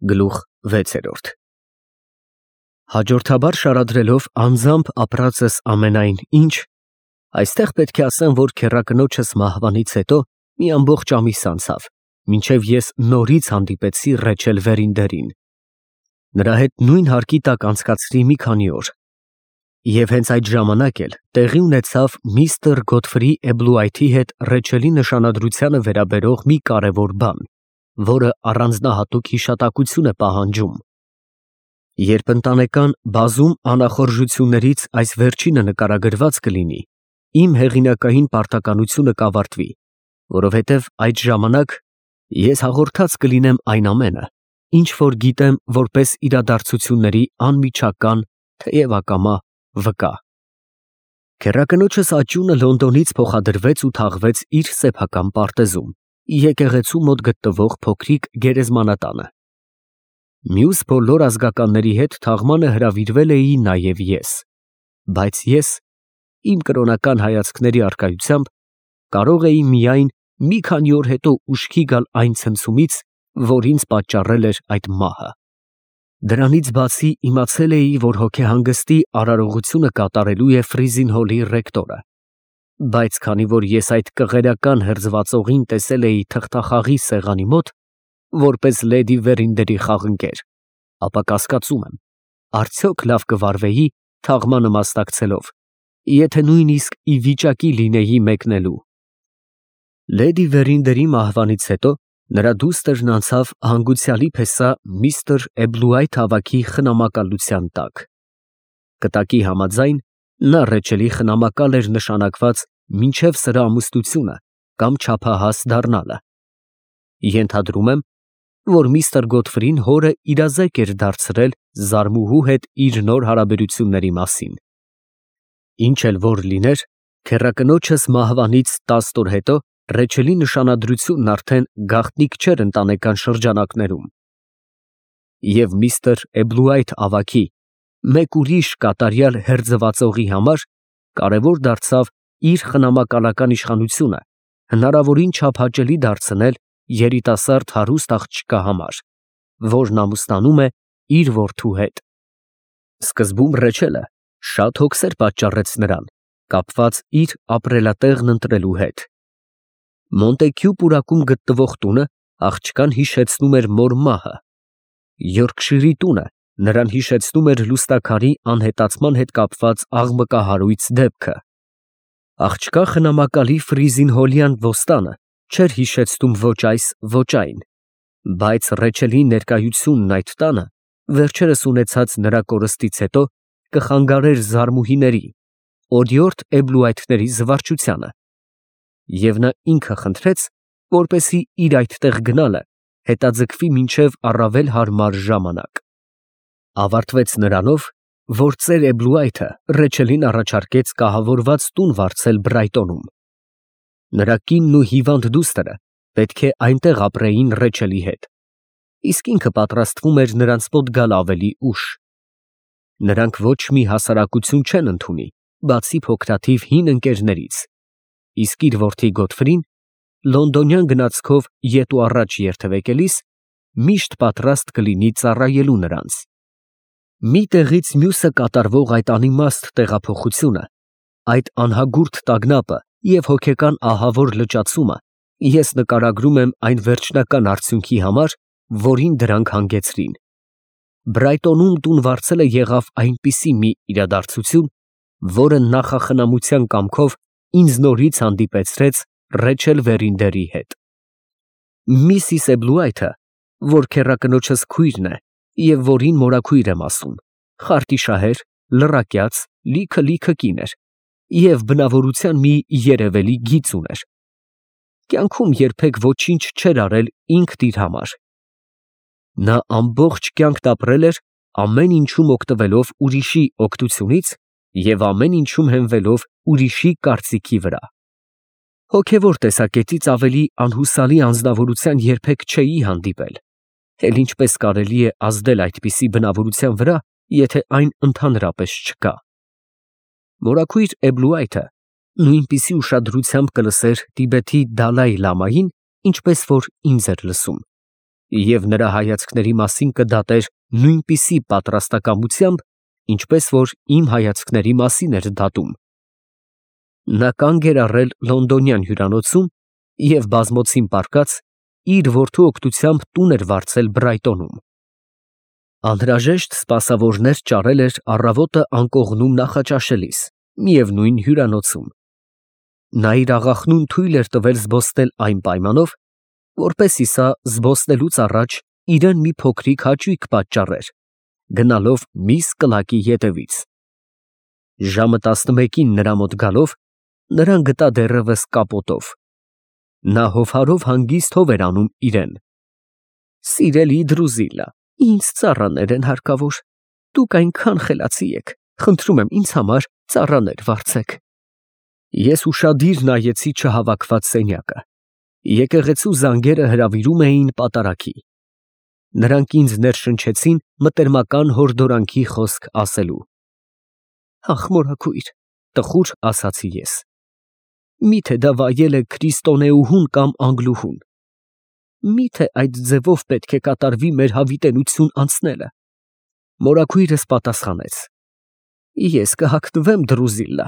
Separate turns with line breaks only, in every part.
Գլուխ 6 Հաջորդաբար շարադրելով անձամբ ապրածս ամենայն ինչ, այստեղ պետք է ասեմ, որ քեռակնոջս մահվանից հետո մի ամբողջ ամիս անցավ, մինչև ես նորից հանդիպեցի Ռեչել Վերինդերին. նրա հետ նույն հարկի տակ անցկացրի մի քանի օր, և հենց այդ ժամանակ էլ տեղի ունեցավ միստր Գոթֆրի Էբլուայթի հետ Ռեչելի նշանադրությանը վերաբերող մի կարևոր բան, որը առանձնահատուկ հիշատակություն է պահանջում։ Երբ ընտանեկան բազում անախորժություններից այս վերջինը նկարագրված կլինի, իմ հեղինակային պարտականությունը կավարտվի, որովհետև այդ ժամանակ ես հաղորդած կլինեմ այն ամենը, ինչ որ գիտեմ որպես իրադարձությունների անմիջական, թեև ակամա վկա։ Քեռակնոջս աճյունը Լոնդոնից փոխադրվեց ու թաղվեց իր սեփական պարտեզում, եկեղեցու մոտ գտնվող փոքրիկ գերեզմանատանը։ Մյուս բոլոր ազգականների հետ թաղմանը հրավիրվել էի նաև ես, բայց ես, իմ կրոնական հայացքների առկայությամբ, կարող էի միայն մի քանի օր հետո ուշքի գալ այն ցնցումից, որ ինձ պատճառել էր այդ մահը։ Դրանից բացի իմացել էի, որ հոգեհանգստի արարողությունը կատարելու է Ֆրիզինհոլի ռեկտորը, բայց քանի որ ես այդ կղերական հրձվածողին տեսել էի թղթախաղի սեղանի մոտ, որպես լեդի Վերինդերի խաղընկեր, ապա կասկածում եմ, արդյոք լավ կվարվեի թաղմանը մասնակցելով, եթե նույնիսկ ի վիճակի լինեի մեկնելու։ Լեդի Վերինդերի մահվանից հետո նրա դուստրն անցավ հանգուցյալի փեսա միստր Էբլուայթ ավագի խնամակալության տակ։ Կտակի համաձայն, նա Ռեչելի խնամակալ էր նշանակված մինչև սրա ամուսնությունը կամ չափահաս դառնալը։ Ենթադրում եմ, որ միստր Գոթֆրին հորը իրազեկ էր դարձրել զարմուհու հետ իր նոր հարաբերությունների մասին։ Ինչ էլ որ լիներ, քեռակնոջս մահվանից 10 օր հետո Ռեչելի նշանադրությունն արդեն գաղտնիք չէր ընտանեկան շրջանակներում, և միստր Էբլուայթ ավագի մեկ ուրիշ կատարյալ հերձվածողի համար կարևոր դարձավ իր խնամակալական իշխանությունը հնարավորին չափ հաճելի դարձնել երիտասարդ հարուստ աղջկա համար, որն ամուսնանում է իր որդու հետ։ Սկզբում Ռեչելը շատ հոգսեր պատճառեց նրան, կապված իր ապրելատեղն ընտրելու հետ։ Մոնտեքյու պուրակում գտնվող տունը աղջկան հիշեցնում էր մոր մահը, Յորքշիրի տունը նրան հիշեցնում էր լուստաքարի անհետացման հետ կապված աղմկահարույց դեպքը, աղջկա խնամակալի Ֆրիզինհոլյան ոստանը չէր հիշեցնում ոչ այս, ոչ այն, բայց Ռեչելի ներկայությունն այդ տանը վերջերս ունեցած նրա կորստից հետո կխանգարեր զարմուհիների, օրիորդ Էբլուայթների զվարճությանը, և նա ինքը խնդրեց, որպեսզի իր այդտեղ գնալը հետաձգվի մինչև առավել հարմար ժամանակ։ Ավարտվեց նրանով, որ ծեր Էբլուայթը Ռեչելին առաջարկեց կահավորված տուն վարձել Բրայտոնում։ Նրա կինն ու հիվանդ դուստրը պետք է այնտեղ ապրեին Ռեչելի հետ, իսկ ինքը պատրաստվում էր նրանց մոտ գալ ավելի ուշ։ Նրանք ոչ մի հասարակություն չեն ընդունի, բացի փոքրաթիվ հին ընկերներից, իսկ իր որդի Գոթֆրին լոնդոնյան գնացքով ետ ու առաջ երթևեկելիս միշտ պատրաստ կլինի ծառայելու նրանց։ Մի տեղից մյուսը կատարվող այդ անիմաստ տեղափոխությունը, այդ անհագուրդ տագնապը և հոգեկան ահավոր լճացումը ես նկարագրում եմ այն վերջնական արդյունքի համար, որին դրանք հանգեցրին։ Բրայտոնում տուն վարձելը եղավ այնպիսի մի իրադարձություն, որը նախախնամության կամքով ինձ նորից հանդիպեցրեց Ռեչել Վերինդերի հետ։ Միսիս Էբլուայթը, որ քեռակնոջս քույրն է և որին մորաքույր եմ ասում, խարտիշահեր, լռակյաց, լիքը կին էր և բնավորության մի երևելի գիծ ուներ։ Կյանքում երբեք ոչինչ չէր արել ինքն իր համար։ Նա ամբողջ կյանքն ապրել էր ամեն ինչում օգտվելով ուրիշի օգնությունից և ամեն ինչում հենվելով ուրիշի կարծիքի վրա։ Հոգևոր տեսակետից ավելի անհուսալի անձնավորության երբեք չէի հանդիպել, էլ ինչպես կարելի է ազդել այդպիսի բնավորության վրա, եթե այն ընդհանրապես չկա։ Մորաքույր Էբլուայթը նույնպիսի ուշադրությամբ կլսեր Տիբեթի Դալայ Լամային, ինչպես որ ինձ էր լսում։ և նրա հայացքների մասին կդատեր նույնպիսի պատրաստակամությամբ, ինչպես որ իմ հայացքների մասին էր դատում։ Նա կանգ էր առել լոնդոնյան հյուրանոցում և բազմոցին պառկած իր որդու օգնությամբ տուն էր վարձել Բրայտոնում։ Անհրաժեշտ սպասավորներ ճարել էր առավոտը անկողնում նախաճաշելիս, միևնույն հյուրանոցում։ Նա իր աղախնուն թույլ էր տվել զբոսնել այն պայմանով, որպեսզի սա զբոսնելուց առաջ իրան մի փոքրիկ հաճույք պատճառեր, գնալով միս կլակի ետևից։ Ժամը 11-ին նրա մոտ գալով, նրան գտա դեռևս կապոտով։ Նա հովհարով հանգիստ հով էր անում իրեն։ «Սիրելի Դրուզիլլա, ինձ ծառաներ են հարկավոր։ Դուք այնքան խելացի եք, խնդրում եմ ինձ համար ծառաներ վարձեք»։ Ես ուշադիր նայեցի չհավաքված սենյակը։ Եկեղեցու զանգերը հրավիրում էին պատարագի։ Նրանք ինձ ներշնչեցին մտերմական հորդորանքի խոսք ասելու։ «Ախ, մորաքույր», տխուր ասացի ես։ «Միթե դա վայել է քրիստոնեուհուն կամ անգլուհուն։ Միթե այդ ձևով պետք է կատարվի մեր հավիտենություն անցնելը»։ Մորաքույրս պատասխանեց. «Ես կհագնվեմ, Դրուզիլլա,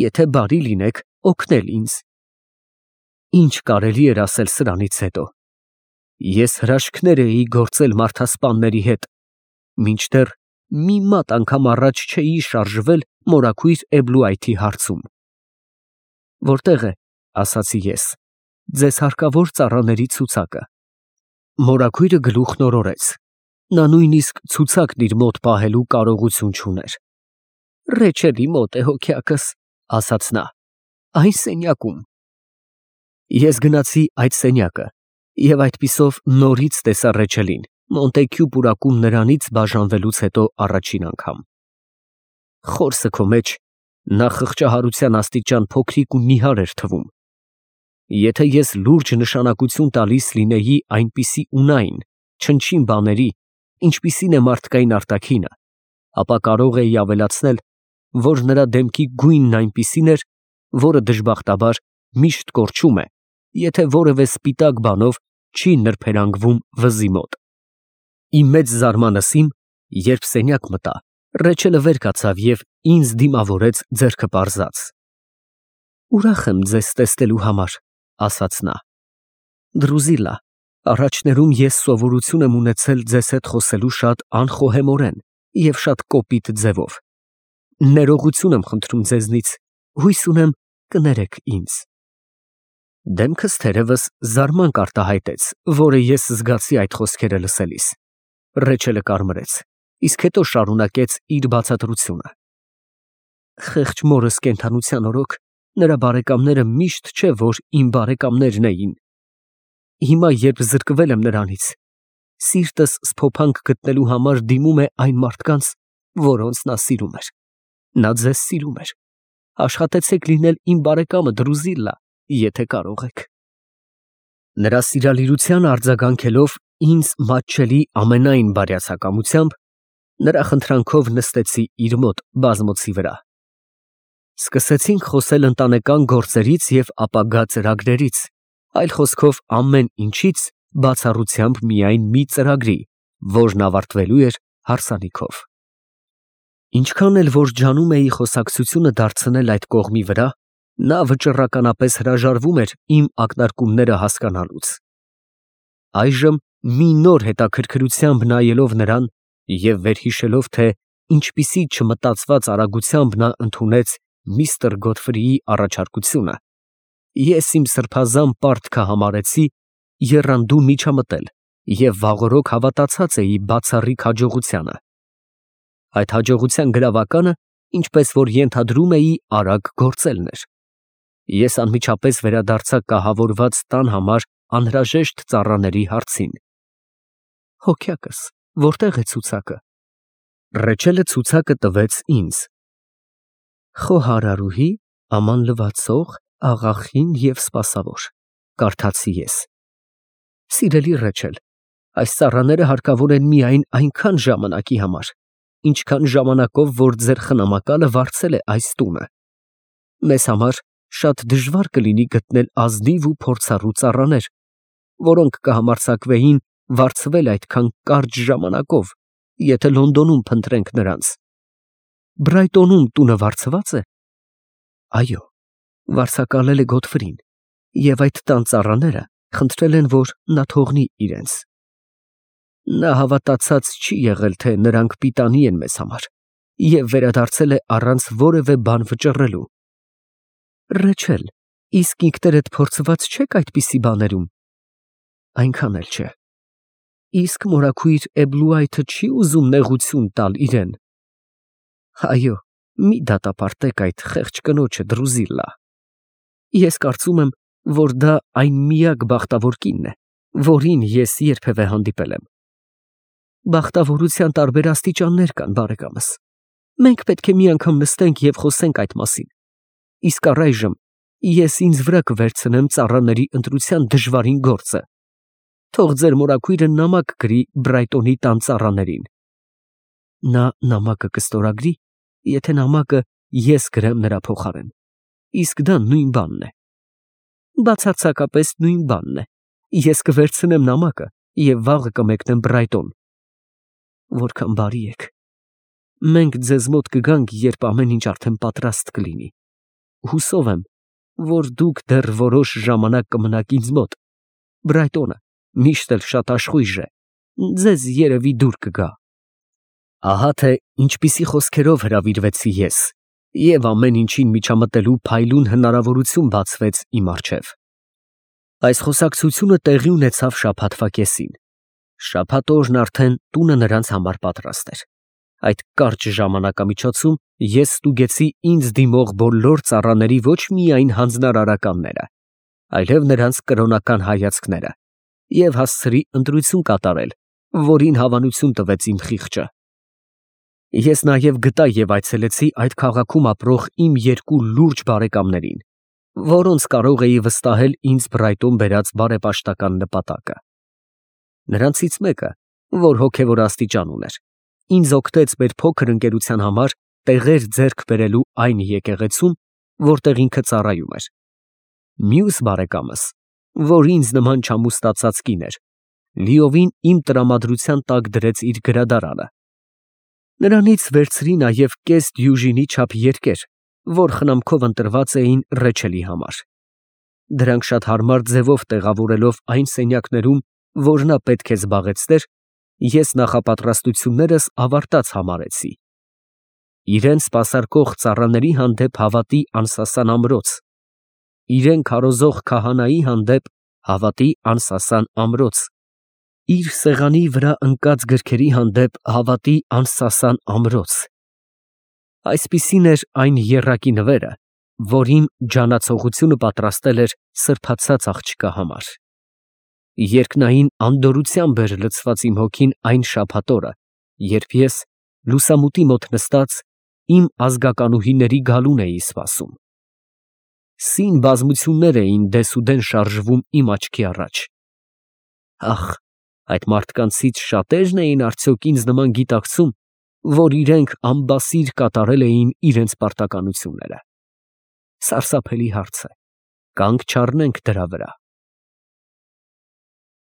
եթե բարի լինեք օգնել ինձ»։ Ինչ կարելի էր ասել սրանից հետո։ Ես հրաշքներ էի գործել մարդասպանների հետ, մինչդեռ մի մատ անգամ առաջ չէի շարժվել մորաքույր Էբլուայթի հարցում։ «Որտե՞ղ է, ֊ ասացի ես, ֊ ձեզ հարկավոր ծառաների ցուցակը»։ Մորաքույրը գլուխն օրորեց։ Նա նույնիսկ ցուցակն իր մոտ պահելու կարողություն չուներ։ «Ռեչելի մոտ է, հոգյակս», ֊ ասաց նա, ֊ «այն սենյակում»։ Ես գնացի այդ սենյակը և այդպիսով նորից տեսա Ռեչելին Մոնտեքյու պուրակում նրանից բաժանվելուց հետո առաջին անգամ։ Խորսը քո մեջ նա խղճահարության աստիճան փոքրիկ ու նիհար էր թվում։ Եթե ես լուրջ նշանակություն տալիս լինեի այնպիսի ունայն, չնչին բաների, ինչպիսին է մարդկային արտաքինը, ապա կարող էի ավելացնել, որ նրա դեմքի գույնն այնպիսին էր, որը դժբախտաբար միշտ կորչում է, եթե որևէ սպիտակ բանով չի նրբերանգվում վզի մոտ։ Իմ մեծ զարմանալին, երբ սենյակ մտա, Ռեչելը վեր կացավ և ինձ դիմավորեց ձեռքը պարզած։ «Ուրախ եմ ձեզ տեսնելու համար», ֊ ասաց նա։ «Դրուզիլլա, առաջներում ես սովորություն եմ ունեցել ձեզ հետ խոսելու շատ անխոհեմորեն և շատ կոպիտ ձևով։ Ներողություն եմ խնդրում ձեզնից, հույս ունեմ կներեք ինձ»։ Դեմքս թերևս զարմանք արտահայտեց, որը ես զգացի այդ խոսքերը լսելիս։ Ռեչելը կարմրեց, իսկ հետո շարունակեց իր բացատրությունը։ «Խեղճ մորս կենդանության օրոք նրա բարեկամները միշտ չէ, որ իմ բարեկամներն էին։ Հիմա, երբ զրկվել եմ նրանից, սիրտս սփոփանք գտնելու համար դիմում է այն մարդկանց, որոնց նա սիրում էր։ Նա ձեզ սիրում էր։ Աշխատեցեք լինել իմ բարեկամը, Դրուզիլլա, եթե կարող եք»։ Նրա սիրալիրությանը արձագանքելով ինձ մատչելի ամենայն բարյացակամությամբ, նրա խնդրանքով նստեցի իր մոտ բազմոցի վրա։ Սկսեցինք խոսել ընտանեկան գործերից և ապագա ծրագրերից, այլ խոսքով ամեն ինչից, բացառությամբ միայն մի ծրագրի, որն ավարտվելու էր հարսանիքով։ Ինչքան էլ որ ջանում էի խոսակցությունը դարձնել այդ կողմի վրա, նա վճռականապես հրաժարվում էր իմ ակնարկումները հասկանալուց։ Այժմ մի նոր հետաքրքրությամբ նայելով նրան և վերհիշելով, թե ինչպիսի չմտածված արագությամբ նա ընդունեց միստր Գոթֆրիի առաջարկությունը, ես իմ սրբազան պարտքը համարեցի եռանդուն միջամտել և վաղօրոք հավատացած էի բացառիկ հաջողությանը։ Այդ հաջողության գրավականը, ինչպես որ ենթադրում էի, արագ գործելն էր։ Ես անմիջապես վերադարձա կահավորված տան համար անհրաժեշտ ծառաների հարցին։ «Հոգյակս, որտե՞ղ է ցուցակը»։ Ռեչելը ցուցակը տվեց ինձ։ «Խոհարարուհի, աման լվացող, աղախին և սպասավոր», կարդացի ես։ «Սիրելի Ռեչել, այս ծառաները հարկավոր են միայն այնքան ժամանակի համար, ինչքան ժամանակով որ ձեր խնամակալը վարձել է այս տունը։ Մեզ համար շատ դժվար կլինի գտնել ազնիվ ու փորձառու ծառաներ, որոնք կհամարձակվեին վարձվել այդքան կարճ ժամանակով, եթե Լոնդոնում փնտրենք նրանց։ Բրայտոնում տունը վարձվա՞ծ է։ Այո, վարձակալել է Գոթֆրին, և այդ տան ծառաները խնդրել են, որ նա թողնի իրենց։ Նա հավատացած չի եղել, թե նրանք պիտանի են մեզ համար, և վերադարձել է առանց որևէ բան վճռելու։ Ռեչել, իսկ ինքներդ փորձված չեք այդպիսի բաներում։ Այնքան էլ չէ։ Իսկ մորաքույր Էբլուայթը չի ուզում նեղություն տալ իրեն։ Այո, մի դատապարտեք այդ խեղճ կնոջը, Դրուզիլլա։ Ես կարծում եմ, որ դա այն միակ բախտավոր կինն է, որին ես երբևէ հանդիպել եմ։ Բախտավորության տարբեր աստիճաններ կան, բարեկամս։ Մենք պետք է մի անգամ նստենք և խոսենք այդ մասին։ Իսկ առայժմ ես ինձ վրա կվերցնեմ ծառաների ընտրության դժվարին գործը։ Թող ձեր մորաքույրը նամակ գրի Բրայտոնի տան ծառաներին։ Նա նամակը կստորագրի, եթե նամակը ես գրեմ նրա փոխարեն, իսկ դա նույն բանն է։ Բացարձակապես նույն բանն է։ Ես կվերցնեմ նամակը և վաղը կմեկնեմ Բրայտոն։ Որքան բարի եք։ Մենք ձեզ մոտ կգանք, երբ ամեն ինչ արդեն պատրաստ կլինի։ Հուսով եմ, որ դուք դեռ որոշ ժամանակ կմնաք ինձ մոտ։ Բրայտոնը միշտ էլ շատ աշխույժ է, ձեզ երևի դուր կգա։ Ահա թե ինչպիսի խոսքերով հրավիրվեցի ես, և ամեն ինչին միջամտելու փայլուն հնարավորություն բացվեց իմ առջև։ Այս խոսակցությունը տեղի ունեցավ շաբաթվա կեսին։ Շաբաթ օրն արդեն տունը նրանց համար պատրաստ էր։ Այդ կարճ ժամանակամիջոցում ես ստուգեցի ինձ դիմող բոլոր ծառաների ոչ միայն հանձնարարականները, այլև նրանց կրոնական հայացքները, և հասցրի ընտրություն կատարել, որին հավանություն տվեց իմ խիղճը։ Ես նաև գտա և այցելեցի այդ քաղաքում ապրող իմ երկու լուրջ բարեկամներին, որոնց կարող էի վստահել ինձ Բրայտոն բերած բարեպաշտական նպատակը։ Նրանցից մեկը, որ հոգևոր աստիճան ուներ, ինձ օգնեց մեր փոքր ընկերության համար տեղեր ձեռք բերելու այն եկեղեցում, որտեղ ինքը ծառայում էր։ Մյուս բարեկամս, որ ինձ նման չամուսնացած կին էր, լիովին իմ տրամադրության տակ դրեց իր գրադարանը։ Նրանից վերցրի նաև կես դյուժինի չափ երկեր, որ խնամքով ընտրված էին Ռեչելի համար։ Դրանք շատ հարմար ձևով տեղավորելով այն սենյակներում, որ նա պետք է զբաղեցներ, ես նախապատրաստություններս ավարտած համարեցի։ Իրեն սպասարկող ծառաների հանդեպ հավատի անսասան ամրոց, իրեն քարոզող քահանայի հանդեպ հավատի անսասան ամրոց, իր սեղանի վրա ընկած գրքերի հանդեպ հավատի անսասան ամրոց։ Այսպիսին էր այն եռակի նվերը, որ իմ ջանացողությունը պատրաստել էր սրբացած աղջկա համար։ Երկնային անդորրությամբ էր լցված իմ հոգին այն շաբաթ օրը, երբ ես, լուսամուտի մոտ նստած, իմ ազգականուհիների գալուն էի սպասում։ Սին բազմություններ էին դեսուդեն շարժվում իմ աչքի առաջ։ Ախ, այդ մարդկանցից շատե՞րն էին արդյոք ինձ նման գիտակցում, որ իրենք անբասիր կատարել էին իրենց պարտականությունները։ Սարսափելի հարց է, կանգ չառնենք դրա վրա։